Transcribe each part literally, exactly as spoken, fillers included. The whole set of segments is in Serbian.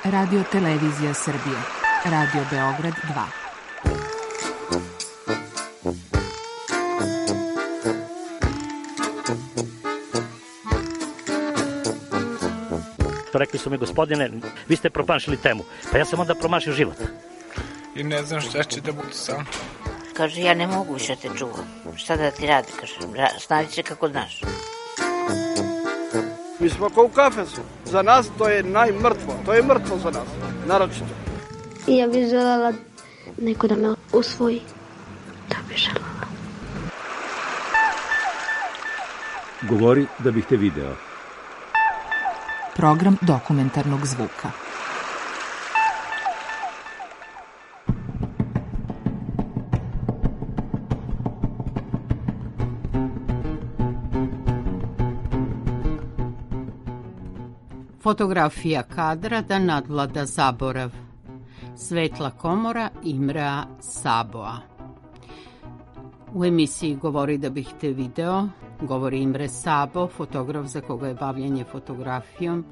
Radio Televizija Srbije, Radio Beograd dva. Rekli su mi, gospodine, vi ste promašili temu. Pa ja sam onda promašio život. I ne znam šta će da bude sam. Kaže, ja ne mogu više te čuvam. Šta da ti radi, kaže, snaći će kako znaš. Mi smo kao u kafesu. Za nas to je najmrtvo. To je mrtvo za nas, naročito. I ja bih želela neko da me usvoji. Da bih želela. Govori da bih te video. Program dokumentarnog zvuka. Fotografija kadra da nadvlada zaborav. Svetla komora Imrea Saboa. U emisiji Govori da bih te video govori Imre Sabo, fotograf za koga je bavljanje fotografijom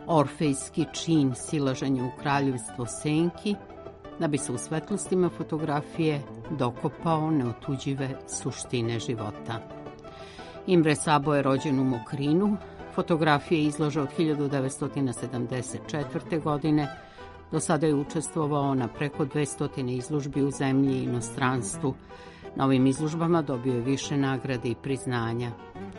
orfejski čin silaženja u kraljevstvo senki, da bi se u svetlostima fotografije dokopao neotuđive suštine života. Imre Sabo je rođen u Mokrinu, fotografije izloža od hiljadu devetsto sedamdeset četvrte. godine, do sada je učestvovao na preko dvesta izložbi u zemlji i inostranstvu. Na ovim izložbama dobio je više nagrade i priznanja.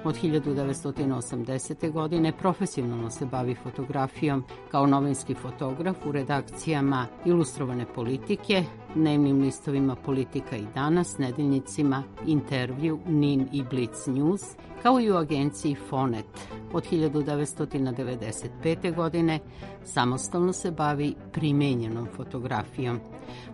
Od hiljadu devetsto osamdesete. godine profesionalno se bavi fotografijom kao novinski fotograf u redakcijama Ilustrovane politike, dnevnim listovima Politika i danas, nedeljnicima Intervju, Nin i Blic News, kao i u agenciji Fonet. Od hiljadu devetsto devedeset pete. godine samostalno se bavi primenjenom fotografijom.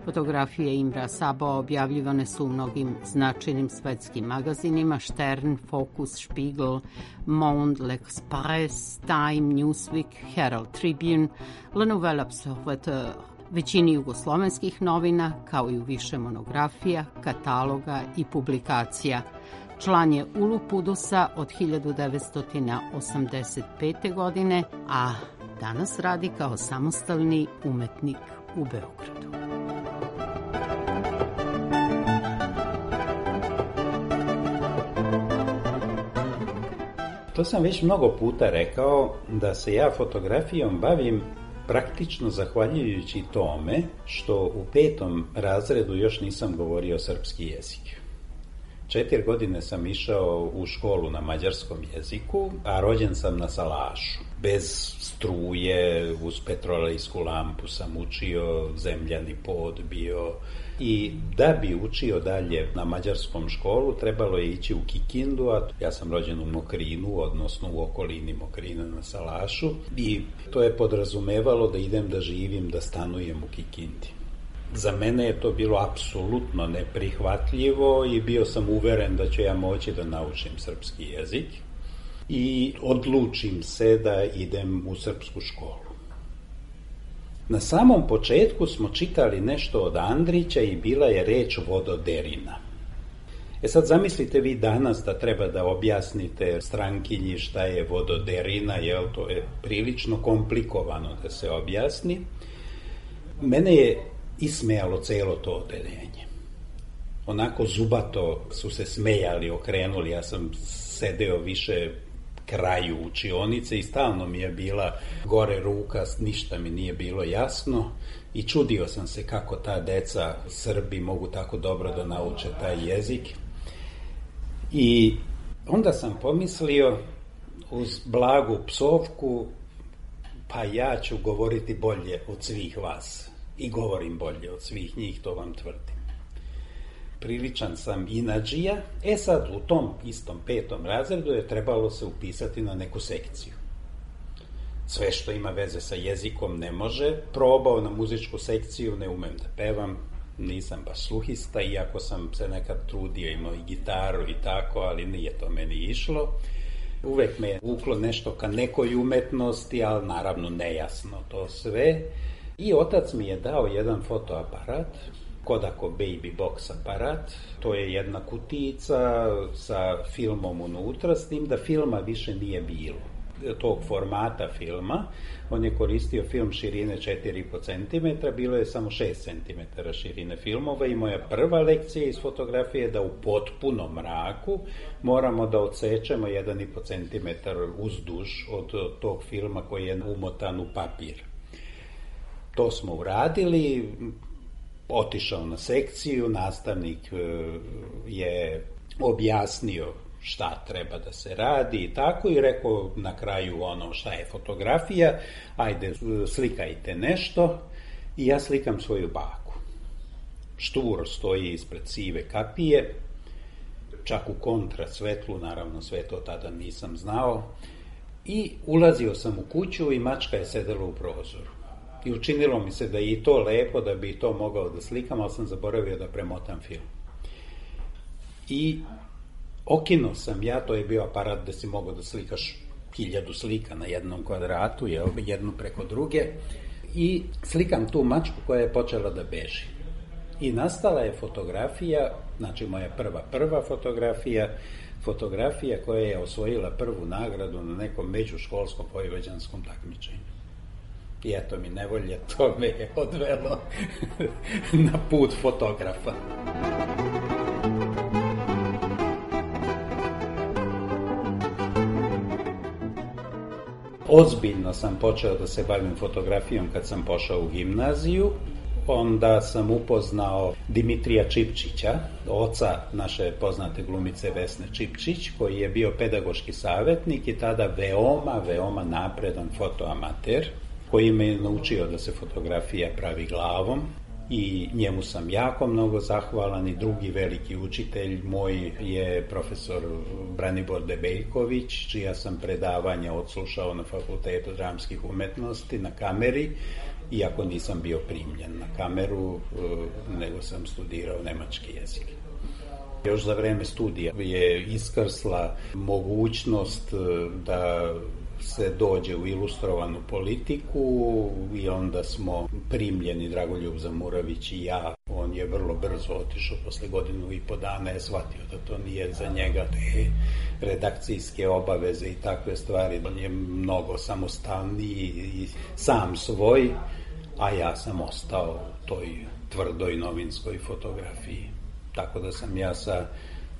Fotografije Imrea Saboa objavljivane su u mnogim značajnim svetskim magazinima: Stern, Focus, Spiegel, Monde, L'Express, Time, Newsweek, Herald Tribune, Le Nouvel Observateur, većini jugoslovenskih novina, kao i u više monografija, kataloga i publikacija. Član je Ulupudusa od hiljadu devetsto osamdeset pete. godine, a danas radi kao samostalni umetnik u Beogradu. To sam već mnogo puta rekao, da se ja fotografijom bavim praktično zahvaljujući tome što u petom razredu još nisam govorio srpski jezik. Četiri godine sam išao u školu na mađarskom jeziku, a rođen sam na salašu. Bez struje, uz petrolejsku lampu sam učio, zemljani pod bio. I da bi učio dalje na mađarskom školu, trebalo je ići u Kikindu, a ja sam rođen u Mokrinu, odnosno u okolini Mokrina na salašu. I to je podrazumevalo da idem da živim, da stanujem u Kikindi. Za mene je to bilo apsolutno neprihvatljivo i bio sam uveren da ću ja moći da naučim srpski jezik i odlučim se da idem u srpsku školu. Na samom početku smo čitali nešto od Andrića i bila je reč vododerina. E sad zamislite vi danas da treba da objasnite strankinji šta je vododerina, jel to je prilično komplikovano da se objasni. Mene je ismejalo celo to odeljenje. Onako zubato su se smejali, okrenuli, ja sam sedeo više kraju učionice i stalno mi je bila gore ruka, ništa mi nije bilo jasno i čudio sam se kako ta deca Srbi mogu tako dobro da nauče taj jezik. I onda sam pomislio uz blagu psovku, pa ja ću govoriti bolje od svih vas. I govorim bolje od svih njih, to vam tvrdim. Priličan sam inadžija, e sad u tom istom petom razredu je trebalo se upisati na neku sekciju. Sve što ima veze sa jezikom ne može, probao na muzičku sekciju, ne umem da pevam, nisam baš sluhista, iako sam se nekad trudio, imao i gitaru i tako, ali nije to meni išlo. Uvek me je vuklo nešto ka nekoj umetnosti, ali naravno nejasno to sve. I otac mi je dao jedan fotoaparat, Kodako Baby Box aparat, to je jedna kutijica sa filmom unutra, s tim da filma više nije bilo. tog formata filma. On je koristio film širine četiri i po centimetra, bilo je samo šest centimetara širine filmova i moja prva lekcija iz fotografije je da u potpunom mraku moramo da odsečemo jedan i po centimetar uzduž od tog filma koji je umotan u papir. To smo uradili, otišao na sekciju, nastavnik je objasnio šta treba da se radi i tako i rekao na kraju ono šta je fotografija, ajde slikajte nešto i ja slikam svoju baku. Šturo stoji ispred sive kapije, čak u kontra svetlu, naravno sve to tada nisam znao, i ulazio sam u kuću i mačka je sedela u prozoru. I učinilo mi se da je i to lepo, da bi to mogao da slikam, ali sam zaboravio da premotam film. I okinuo sam ja, to je bio aparat da si mogao da slikaš hiljadu slika na jednom kvadratu, jel, jednu preko druge, i slikam tu mačku koja je počela da beži. I nastala je fotografija, znači moja prva prva fotografija, fotografija koja je osvojila prvu nagradu na nekom međuškolskom vojvođanskom takmičenju. I eto mi nevolje, to me je odvelo na put fotografa. Ozbiljno sam počeo da se bavim fotografijom kad sam pošao u gimnaziju. Onda sam upoznao Dimitrija Čipčića, oca naše poznate glumice Vesne Čipčić, koji je bio pedagoški savjetnik i tada veoma, veoma napredan fotoamater, koji me je naučio da se fotografija pravi glavom i njemu sam jako mnogo zahvalan. I drugi veliki učitelj moj je profesor Branibor Debeljković, čija sam predavanja odslušao na Fakultetu dramskih umetnosti na kameri, iako nisam bio primljen na kameru, nego sam studirao nemački jezik. Još za vreme studija je iskrsla mogućnost da se dođe u ilustrovanu politiku i onda smo primljeni, Dragoljub Zamurović i ja. On je vrlo brzo otišao, posle godinu i po dana je shvatio da to nije za njega, te redakcijske obaveze i takve stvari. On je mnogo samostalniji i sam svoj, a ja sam ostao u toj tvrdoj novinskoj fotografiji. Tako da sam ja sa,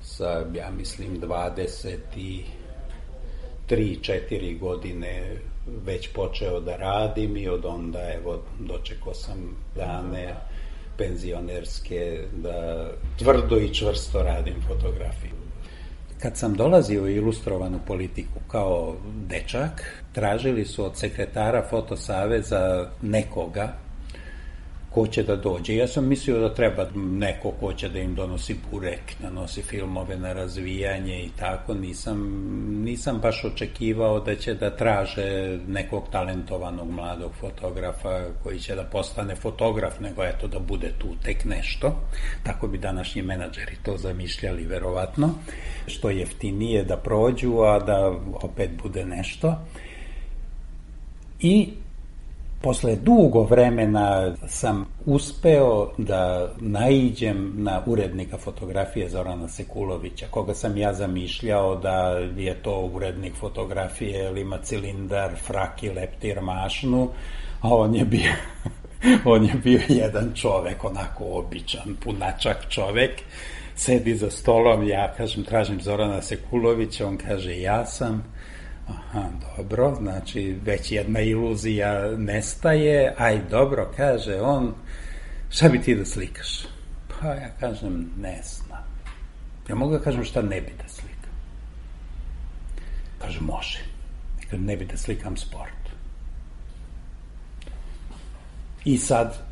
sa ja mislim, dvadeset tri četiri godine već počeo da radim i od onda, evo, dočekao sam dane penzionerske da tvrdo i čvrsto radim fotografiju. Kad sam dolazio u ilustrovanu politiku kao dečak, tražili su od sekretara Fotosaveza nekoga ko će da dođe. Ja sam mislio da treba neko ko će da im donosi burek, da nosi filmove na razvijanje i tako. Nisam, nisam baš očekivao da će da traže nekog talentovanog mladog fotografa koji će da postane fotograf, nego eto da bude tu tek nešto. Tako bi današnji menadžeri to zamišljali verovatno. Što jeftinije da prođu, a da opet bude nešto. I posle dugo vremena sam uspeo da naiđem na urednika fotografije Zorana Sekulovića, koga sam ja zamišljao da je to urednik fotografije, jer ima cilindar, frak i leptir mašnu, a on je bio, on je bio jedan čovek, onako običan, punačak čovek, sedi za stolom, ja kažem, tražim Zorana Sekulovića, on kaže, ja sam. Aha, dobro, znači već jedna iluzija nestaje, aj dobro, kaže on, šta bi ti da slikaš? Pa ja kažem, ne znam. Ja mogu da kažem šta ne bi da slikam. Kaže, može. Kaže, ne bi da slikam sport. I sad,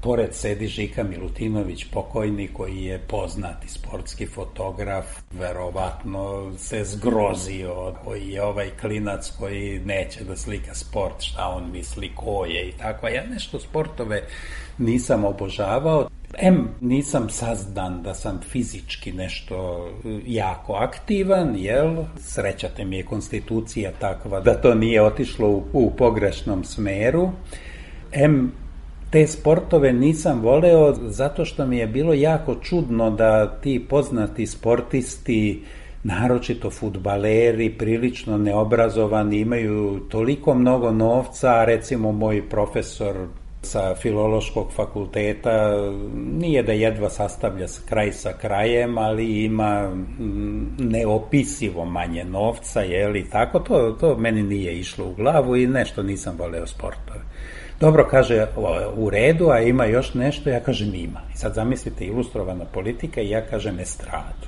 pored sedi Žika Milutinović, pokojni, koji je poznati sportski fotograf, verovatno se zgrozio, koji je ovaj klinac koji neće da slika sport, šta on misli, ko je i tako. Ja nešto sportove nisam obožavao. Em, nisam sazdan da sam fizički nešto jako aktivan, jel? Srećate mi je konstitucija takva da to nije otišlo u, u pogrešnom smeru. Em, te sportove nisam voleo zato što mi je bilo jako čudno da ti poznati sportisti naročito fudbaleri, prilično neobrazovani, imaju toliko mnogo novca, a recimo moj profesor sa filološkog fakulteta nije da jedva sastavlja kraj sa krajem, ali ima neopisivo manje novca, jeli, tako, to, to meni nije išlo u glavu i nešto nisam voleo sportove. Dobro, kaže, u redu, a ima još nešto, ja kažem ima. I sad zamislite, ilustrovana politika i ja kažem estradu.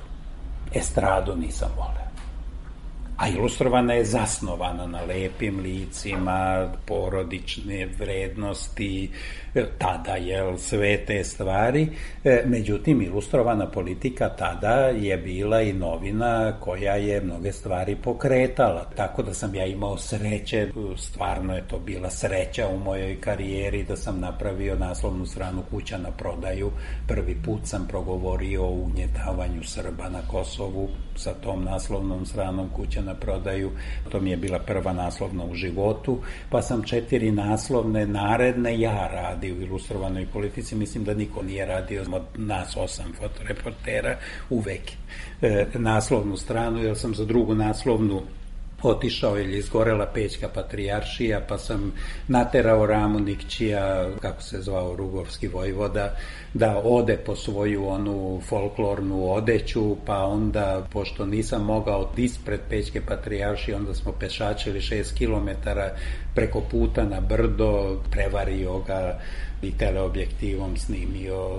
Estradu nisam voleo. A ilustrovana je zasnovana na lepim licima, porodične vrednosti, tada, jel, sve te stvari. Međutim, ilustrovana politika tada je bila i novina koja je mnoge stvari pokretala. Tako da sam ja imao sreće, stvarno je to bila sreća u mojoj karijeri da sam napravio naslovnu stranu Kuća na prodaju. Prvi put sam progovorio o ugnjetavanju Srba na Kosovu sa tom naslovnom stranom Kuća na prodaju. To mi je bila prva naslovna u životu, pa sam četiri naslovne naredne ja radio u ilustrovanoj politici. Mislim da niko nije radio od nas osam fotoreportera uvek e, naslovnu stranu, jer sam za drugu naslovnu otišao ili izgorela Pećka patrijaršija, pa sam naterao Ramu Nikćija, kako se zvao Rugovski vojvoda, da ode po svoju onu folklornu odeću, pa onda, pošto nisam mogao ispred Pećke patrijaršije, onda smo pešačili šest kilometara preko puta na brdo, prevario ga i teleobjektivom snimio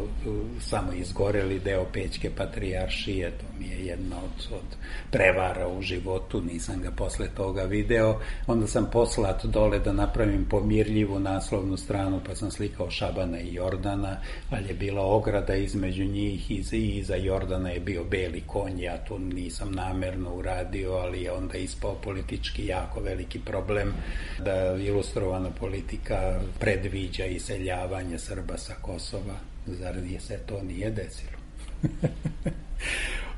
samo izgoreli deo Pećke patrijaršije. To mi je jedna od, od prevara u životu, nisam ga posle toga video. Onda sam poslat dole da napravim pomirljivu naslovnu stranu, pa sam slikao Šabana i Jordana, ali je bila ograda između njih i iza Jordana je bio beli konj. Ja to nisam namerno uradio, ali je onda ispao politički jako veliki problem da ilustrovana politika predviđa iseljavanje Srba sa Kosova. Zar nije se to nije desilo?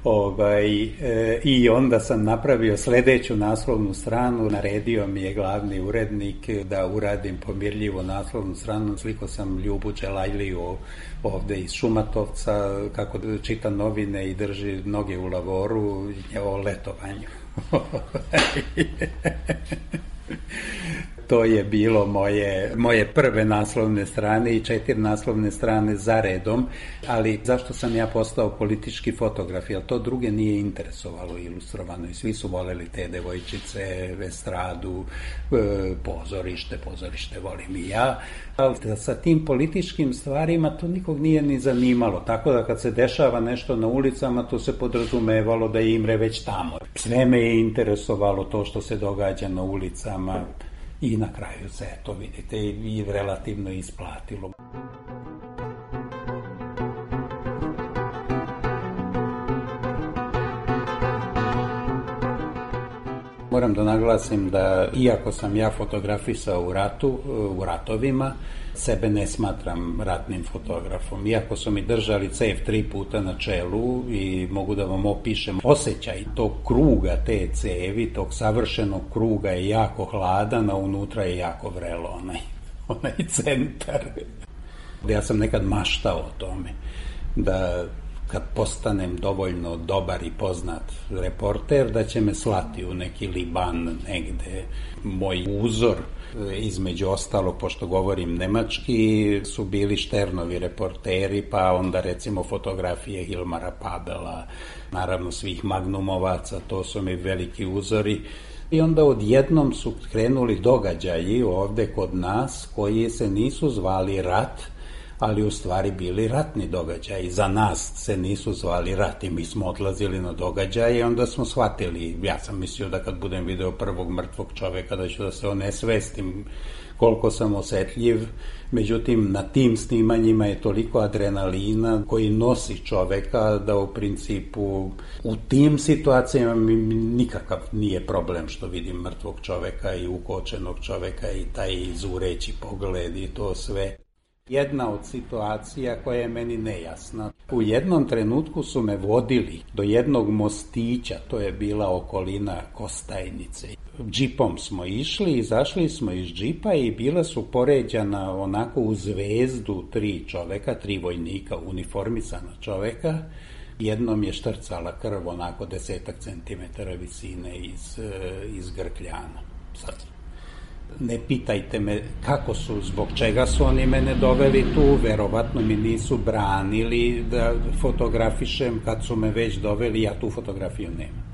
Ovaj, e, i onda sam napravio sledeću naslovnu stranu, naredio mi je glavni urednik da uradim pomirljivu naslovnu stranu, sliko sam Ljubu Đelajliju ovde iz Šumatovca, kako čita novine i drži noge u lavoru o letovanju. To je bilo moje, moje prve naslovne strane i četiri naslovne strane za redom, ali zašto sam ja postao politički fotograf, jer to druge nije interesovalo ilustrovano i svi su voleli te devojčice, estradu, pozorište, pozorište volim i ja, ali sa tim političkim stvarima to nikog nije ni zanimalo, tako da kad se dešava nešto na ulicama, to se podrazumevalo da je Imre već tamo. Sve me je interesovalo to što se događa na ulicama, i na kraju se, to vidite, i relativno isplatilo. Moram da naglasim da, iako sam ja fotografisao u ratu, u ratovima, sebe ne smatram ratnim fotografom. Iako su mi držali cef tri puta na čelu i mogu da vam opišem osjećaj tog kruga, te cevi, tog savršenog kruga je jako hladan, a unutra je jako vrelo onaj, onaj centar. Ja sam nekad maštao o tome da kad postanem dovoljno dobar i poznat reporter, da će me slati u neki Liban negde. Moj uzor, između ostalo, pošto govorim nemački, su bili Šternovi reporteri, pa onda recimo fotografije Hilmara Pabela, naravno svih magnumovaca, to su mi veliki uzori. I onda odjednom su krenuli događaji ovde kod nas koji se nisu zvali rat, ali u stvari bili ratni događaji. Za nas se nisu zvali rat i mi smo odlazili na događaje i onda smo shvatili, ja sam mislio da kad budem video prvog mrtvog čoveka da ću da se onesvestim koliko sam osetljiv, međutim na tim snimanjima je toliko adrenalina koji nosi čoveka da u principu u tim situacijama mi nikakav nije problem što vidim mrtvog čoveka i ukočenog čoveka i taj zureći pogled i to sve. Jedna od situacija koja je meni nejasna. U jednom trenutku su me vodili do jednog mostića, to je bila okolina Kostajnice. Džipom smo išli, izašli smo iz džipa i bila su poređana onako u zvezdu tri čoveka, tri vojnika, uniformisana čoveka, Jednom je štrcala krv onako desetak centimetara visine iz, iz grkljana. Sad, ne pitajte me kako su, zbog čega su oni mene doveli tu, verovatno mi nisu branili da fotografišem, kad su me već doveli, ja tu fotografiju nemam.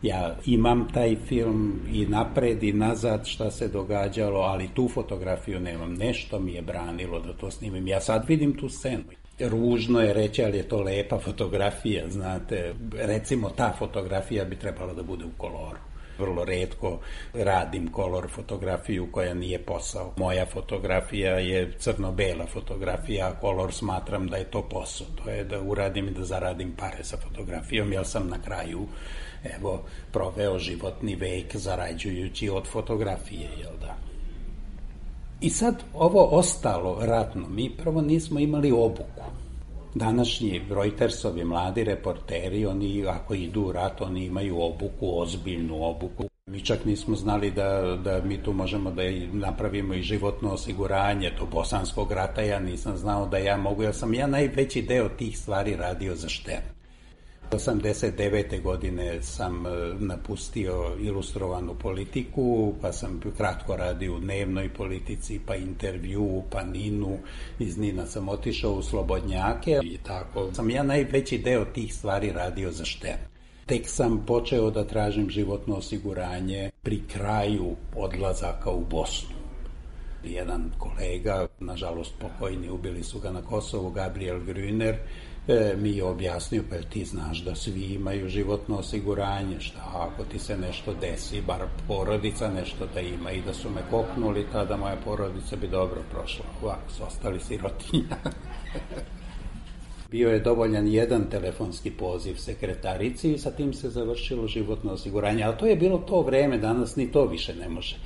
Ja imam taj film i napred i nazad šta se događalo, ali tu fotografiju nemam. Nešto mi je branilo da to snimim. Ja sad vidim tu scenu. Ružno je reći, ali je to lepa fotografija, znate. Recimo, ta fotografija bi trebala da bude u koloru. Vrlo retko radim kolor fotografiju koja nije posao. Moja fotografija je crno-bela fotografija, a kolor smatram da je to posao. To je da uradim i da zaradim pare sa fotografijom, jer sam na kraju evo, proveo životni vek zarađujući od fotografije, jel da? I sad ovo ostalo ratno, mi prvo nismo imali obuku. Današnji Reutersovi mladi reporteri, oni ako idu u rat, oni imaju obuku, ozbiljnu obuku. Mi čak nismo znali da, da mi tu možemo da napravimo i životno osiguranje, to bosanskog rata ja nisam znao da ja mogu, jer sam ja najveći deo tih stvari radio za Štern. osamdeset devete godine sam napustio ilustrovanu politiku, pa sam kratko radio u dnevnoj politici, pa intervju, pa Ninu. Iz Nina sam otišao u Slobodnjake i tako. Sam ja najveći deo tih stvari radio za Štern. Tek sam počeo da tražim životno osiguranje pri kraju odlazaka u Bosnu. Jedan kolega, nažalost pokojni, ubili su ga na Kosovu, Gabriel Grüner, E, mi je objasnio, pa ti znaš da svi imaju životno osiguranje, šta ako ti se nešto desi, bar porodica nešto da ima, i da su me koknuli, tada moja porodica bi dobro prošla, ovako su ostali sirotinja. Bio je dovoljan jedan telefonski poziv sekretarici i sa tim se završilo životno osiguranje, ali to je bilo to vreme, danas ni to više ne može.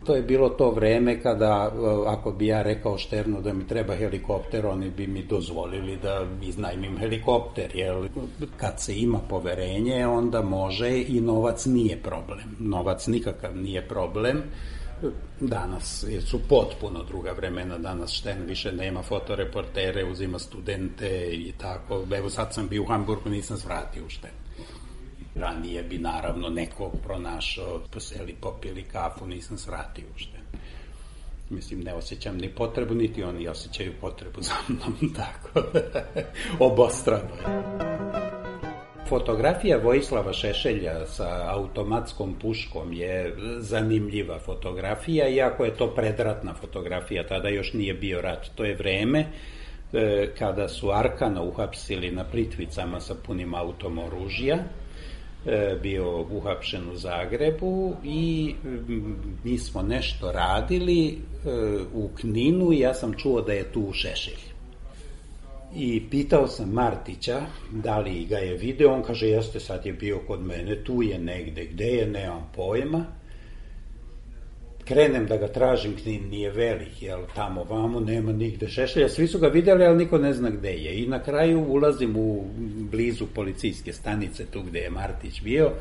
To je bilo to vreme kada, ako bi ja rekao Šternu da mi treba helikopter, oni bi mi dozvolili da iznajmim helikopter, jer kad se ima poverenje, onda može i novac nije problem. Novac nikakav nije problem. Danas su potpuno druga vremena, danas Štern više nema fotoreportere, uzima studente i tako. Evo sad sam bio u Hamburgu, nisam svratio u Štern. Ranije bi naravno nekog pronašao, poseli, popili kafu, nisam svratio ušte. Mislim, ne osjećam ni potrebu, niti oni osjećaju potrebu za mnom, tako. Obostrano je. Fotografija Vojislava Šešelja sa automatskom puškom je zanimljiva fotografija, iako je to predratna fotografija, tada još nije bio rat. To je vreme kada su Arkana uhapsili na Plitvicama sa punim autom oružja, bio uhapšen u Zagrebu i mi smo nešto radili u Kninu i ja sam čuo da je tu Šešelj. I pitao sam Martića da li ga je video, on kaže jeste, sad je bio kod mene, tu je negde, gde je, nemam pojma. Krenem da ga tražim, Knin nije velik, jel, tamo vamo nema nigde Šešelja, svi su ga vidjeli, ali niko ne zna gde je. I na kraju ulazim u blizu policijske stanice, tu gde je Martić bio,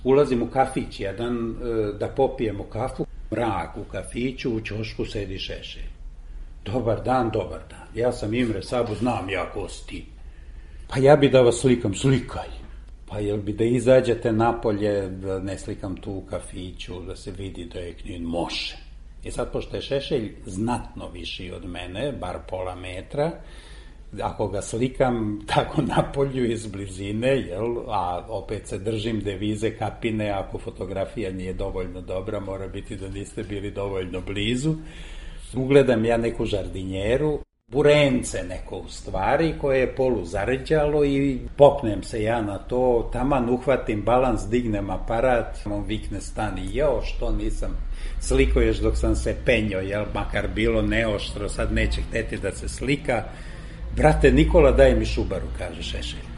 ulazim u kafić jedan da popijemo kafu, mrak u kafiću, u ćošku sedi Šešelj. Dobar dan, dobar dan, ja sam Imre Sabo, znam ja ko si ti. Pa ja bi da vas slikam, slikaj. Pa jel bi da izađete napolje, da ne slikam tu u kafiću, da se vidi da je Knin, može. I sad, pošto je Šešelj znatno viši od mene, bar pola metra, ako ga slikam tako napolju iz blizine, jel, a opet se držim devize Kapine, ako fotografija nije dovoljno dobra, mora biti da niste bili dovoljno blizu, ugledam ja neku žardinjeru, burence neko u stvari, koje je polu zarđalo i popnem se ja na to, taman uhvatim balans, dignem aparat, on vikne stani, jo, što nisam sliko još dok sam se penjo, jel, makar bilo neoštro, sad neće hteti da se slika. Brate Nikola, daj mi šubaru, kaže Šešelj.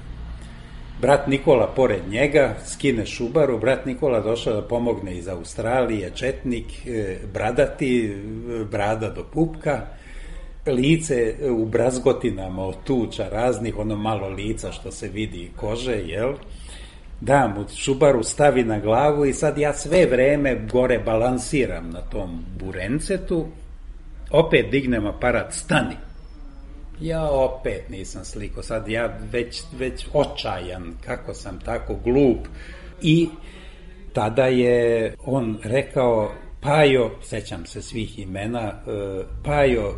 Brat Nikola pored njega skine šubaru, brat Nikola došao da pomogne iz Australije, četnik, bradati, brada do pupka, lice u brazgotinama od tuča raznih, ono malo lica što se vidi kože, jel? Da mu šubaru stavi na glavu i sad ja sve vreme gore balansiram na tom burencetu, opet dignem aparat, stani. Ja opet nisam sliko, sad ja već, već očajan kako sam tako glup. I tada je on rekao, Pajo, sećam se svih imena, Pajo,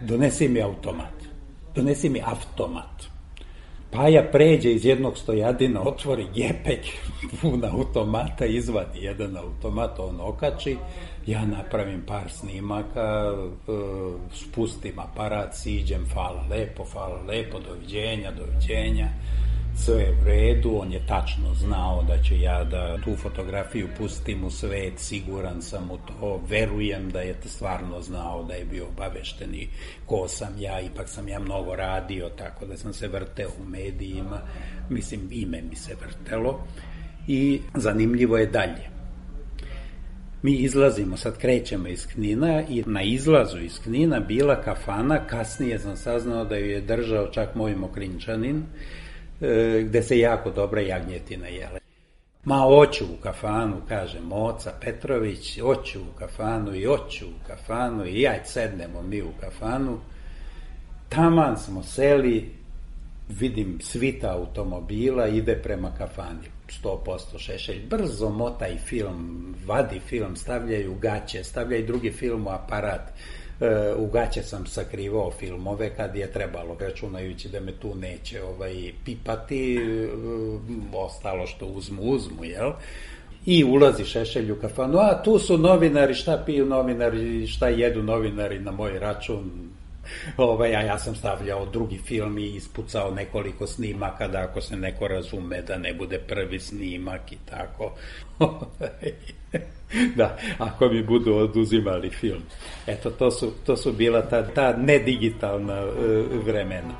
donesi mi automat, donesi mi automat. Paja pređe iz jednog stojadina, otvori gepek pun automata, izvadi jedan automat, on okači, ja napravim par snimaka, spustim aparat, siđem, hvala lepo, hvala lepo, doviđenja, doviđenja, sve je u redu, on je tačno znao da će ja da tu fotografiju pustim u svet, siguran sam u to, verujem da je stvarno znao, da je bio obavešteni ko sam ja, ipak sam ja mnogo radio, tako da sam se vrteo u medijima, mislim, ime mi se vrtelo i zanimljivo je dalje. Mi izlazimo, sad krećemo iz Knina i na izlazu iz Knina bila kafana, kasnije sam saznao da ju je držao čak moj Mokrinčanin, gde se jako dobra jagnjetina jele. Ma, oću u kafanu, kaže Moca Petrović, oću u kafanu i oću u kafanu i ajde sednemo mi u kafanu. Taman smo seli, vidim svita automobila, ide prema kafani, sto posto Šešelj, brzo motaj film, vadi film, stavljaju gaće, stavljaju drugi film u aparat. U gaće sam sakrivao filmove kad je trebalo, računajući da me tu neće ovaj, pipati, ostalo što uzmu, uzmu, jel? I ulazi Šešelj u kafanu, a tu su novinari, šta piju novinari, šta jedu novinari na moj račun, ovaj, a ja sam stavljao drugi film i ispucao nekoliko snimaka da ako se neko razume da ne bude prvi snimak i tako. Da, ako mi budu oduzimali film. Eto, to su, to su bila ta, ta nedigitalna uh, vremena.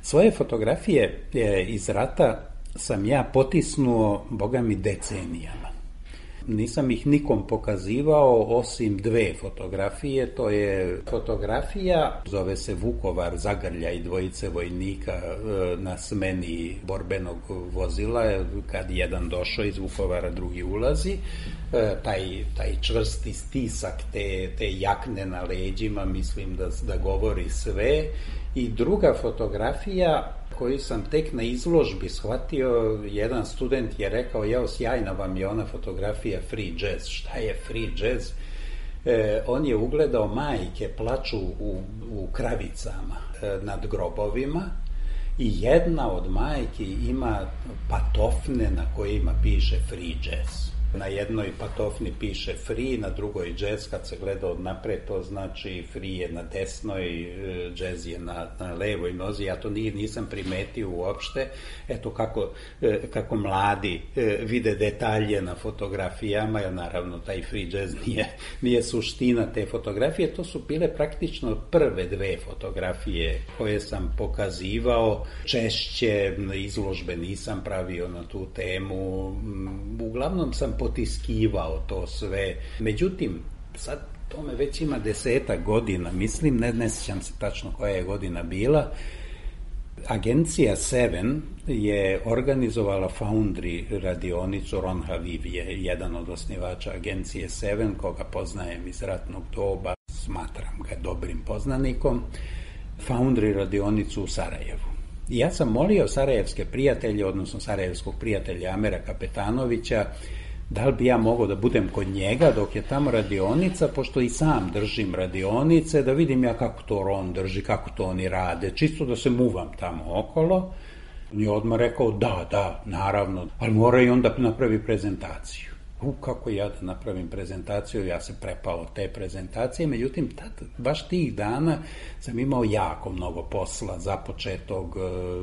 Svoje fotografije e, iz rata sam ja potisnuo, boga mi, decenijama. Nisam ih nikom pokazivao osim dve fotografije. To je fotografija, zove se Vukovar, zagrljaj dvojice vojnika na smeni borbenog vozila, kad jedan došao iz Vukovara, drugi ulazi. Taj, taj čvrsti stisak te, te jakne na leđima, mislim da, da govori sve. I druga fotografija koju sam tek na izložbi shvatio, jedan student je rekao, jao, sjajna vam je ona fotografija free jazz. Šta je free jazz? E, on je ugledao majke plaču u, u kravicama e, nad grobovima i jedna od majki ima patofne na kojima piše free jazz. Na jednoj patofni piše free, na drugoj jazz, kad se gleda od napred, to znači free je na desnoj, jazz je na, na levoj nozi. Ja to nisam primetio uopšte. Eto kako, kako mladi vide detalje na fotografijama, jer naravno taj free jazz nije, nije suština te fotografije. To su bile praktično prve dve fotografije koje sam pokazivao. Češće izložbe nisam pravio na tu temu. Uglavnom sam potiskivao to sve. Međutim, sad tome već ima desetak godina, mislim, ne, ne sjećam se tačno koja je godina bila. Agencija Seven je organizovala Foundry radionicu, Ron Haviv je jedan od osnivača agencije Seven, koga poznajem iz ratnog doba, smatram ga dobrim poznanikom, Foundry radionicu u Sarajevu. I ja sam molio sarajevske prijatelje, odnosno sarajevskog prijatelja Amera Kapetanovića, da li bi ja mogao da budem kod njega dok je tamo radionica, pošto i sam držim radionice, da vidim ja kako to on drži, kako to oni rade, čisto da se muvam tamo okolo. On je odmah rekao, da, da, naravno, ali mora i onda napravi prezentaciju. U, kako ja da napravim prezentaciju, ja se prepao te prezentacije, međutim, tad, baš tih dana sam imao jako mnogo posla započetog,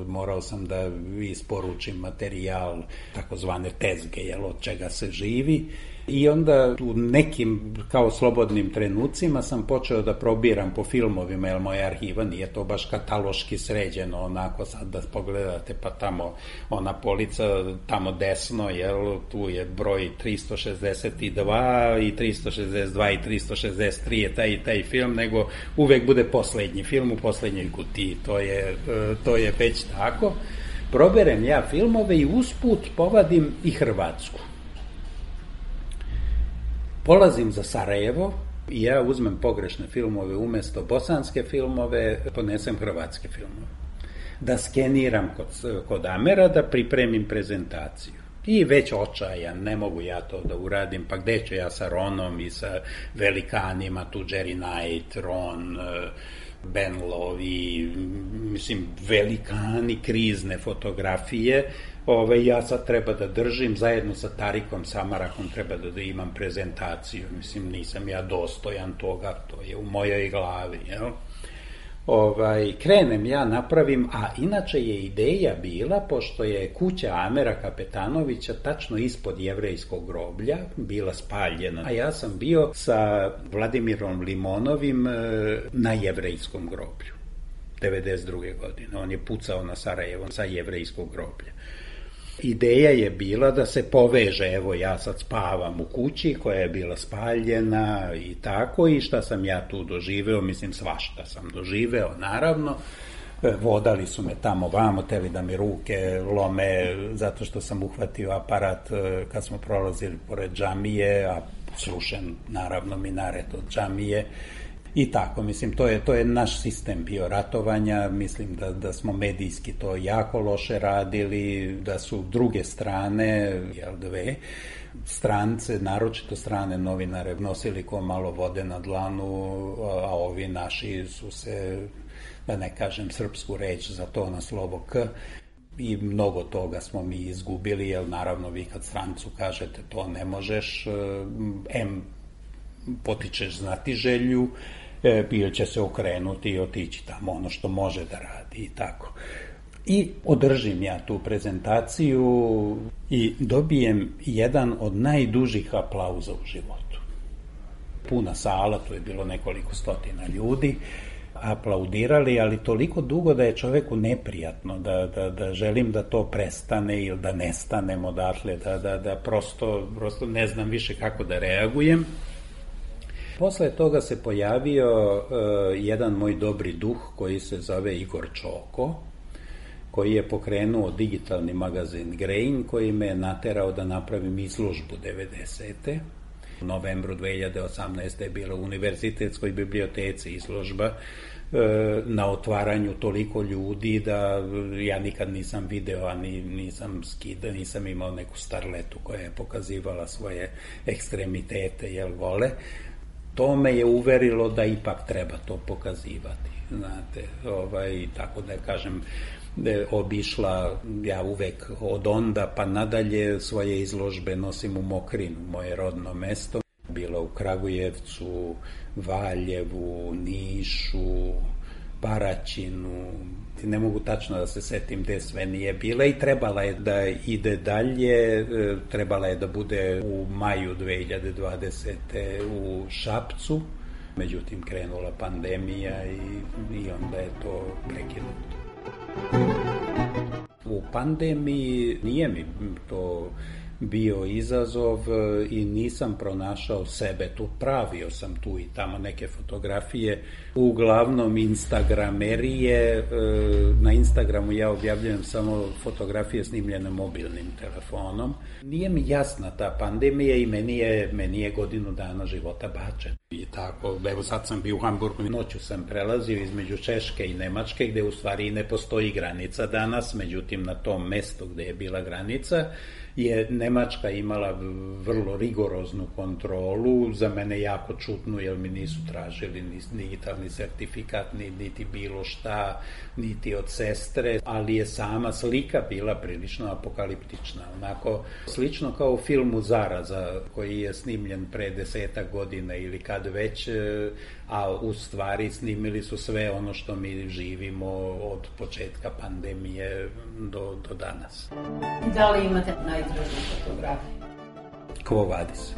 morao sam da isporučim materijal, takozvane tezge, jel, od čega se živi. I onda u nekim kao slobodnim trenucima sam počeo da probiram po filmovima, jer moja arhiva nije to baš kataloški sređeno, onako sad da pogledate, pa tamo ona polica, tamo desno, jel, tu je broj tristo šezdeset dva i tristo šezdeset dva i tristo šezdeset tri je taj i taj film, nego uvek bude poslednji film u poslednjoj kutiji, to je, to je već tako. Proberem ja filmove i usput povadim i Hrvatsku. polazim za Sarajevo i ja uzmem pogrešne filmove umjesto bosanske filmove, ponesem hrvatske filmove. Da skeniram kod, kod Amera, da pripremim prezentaciju. I već očajan, ne mogu ja to da uradim, pa gde ću ja sa Ronom i sa velikanima, tu Jerry Knight, Ron, Ben Lovi, mislim, velikani krizne fotografije. Ove, ja sad treba da držim, zajedno sa Tarikom Samarakom treba da, da imam prezentaciju. Mislim, nisam ja dostojan toga, to je u mojoj glavi, jel? Ovaj, krenem ja, napravim, a inače je ideja bila, pošto je kuća Amera Kapetanovića tačno ispod jevrejskog groblja, bila spaljena, a ja sam bio sa Vladimirom Limonovim na jevrejskom groblju, devedeset druge godine. On je pucao na Sarajevo sa jevrejskog groblja. Ideja je bila da se poveže, evo ja sad spavam u kući koja je bila spaljena i tako, i šta sam ja tu doživeo, mislim svašta sam doživeo, naravno. Vodali su me tamo vamo, teli da mi ruke lome zato što sam uhvatio aparat kad smo prolazili pored džamije, a slušam naravno minaret od džamije. I tako, mislim, to je, to je naš sistem bio ratovanja, mislim da, da smo medijski to jako loše radili, da su druge strane, jel dve, strance, naročito strane novinare, nosili ko malo vode na dlanu, a ovi naši su se, da ne kažem srpsku reč za to na slovo K, i mnogo toga smo mi izgubili, jer naravno vi kad strancu kažete to ne možeš, em potičeš znatiželju, ili će se okrenuti i otići tamo ono što može da radi i tako. I održim ja tu prezentaciju i dobijem jedan od najdužih aplauza u životu. Puna sala, tu je bilo nekoliko stotina ljudi, aplaudirali, ali toliko dugo da je čoveku neprijatno, da, da, da želim da to prestane ili da nestanem odatle, da, da, da prosto, prosto ne znam više kako da reagujem. Posle toga se pojavio uh, jedan moj dobri duh koji se zove Igor Čoko, koji je pokrenuo digitalni magazin Grain, koji me je naterao da napravim izložbu devedesete. U novembru dve hiljade osamnaeste. je bila u Univerzitetskoj biblioteci izložba uh, na otvaranju toliko ljudi da ja nikad nisam video, a ni, nisam skida, nisam imao neku starletu koja je pokazivala svoje ekstremitete, jel vole. To me je uverilo da ipak treba to pokazivati, znate, ovaj, tako da kažem, obišla ja uvek od onda pa nadalje svoje izložbe nosim u Mokrinu, moje rodno mesto, bila u Kragujevcu, Valjevu, Nišu, Paraćinu, ne mogu tačno da se setim gde sve nije bila, i trebala je da ide dalje, trebala je da bude u maju dve hiljade dvadesete. u Šapcu, međutim krenula pandemija i, i onda je to prekinuto. U pandemiji nije mi to bio izazov i nisam pronašao sebe tu, pravio sam tu i tamo neke fotografije, uglavnom instagramerije, na Instagramu ja objavljujem samo fotografije snimljene mobilnim telefonom. Nije mi jasna ta pandemija i meni je, meni je godinu dana života bačen. I tako, evo sad sam bio u Hamburgu, noću sam prelazio između Češke i Nemačke, gde u stvari ne postoji granica danas, međutim na tom mestu gde je bila granica je Nemačka imala vrlo rigoroznu kontrolu, za mene jako čudnu, jer mi nisu tražili ni digitalni sertifikat, ni, niti bilo šta, niti od sestre, ali je sama slika bila prilično apokaliptična, onako slično kao u filmu Zaraza, koji je snimljen pre desetak godina ili kad već, a u stvari snimili su sve ono što mi živimo od početka pandemije do, do danas. Da li imate najdražu fotografiju? Quo vadis.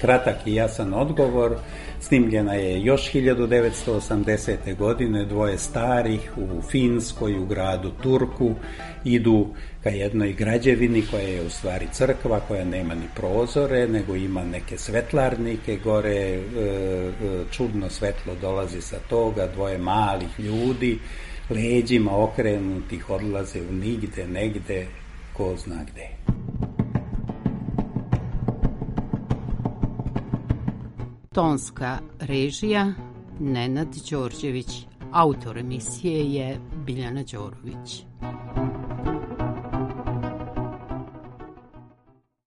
Kratak i jasan odgovor. Snimljena je još hiljadu devetsto osamdesete. godine, dvoje starih u Finskoj, u gradu Turku, idu ka jednoj građevini koja je u stvari crkva, koja nema ni prozore, nego ima neke svetlarnike gore, čudno svetlo dolazi sa toga, dvoje malih ljudi, leđima okrenutih, odlaze u nigde, negde, ko zna gde. Tonska režija Nenad Đorđević. Autor emisije je Biljana Đorović.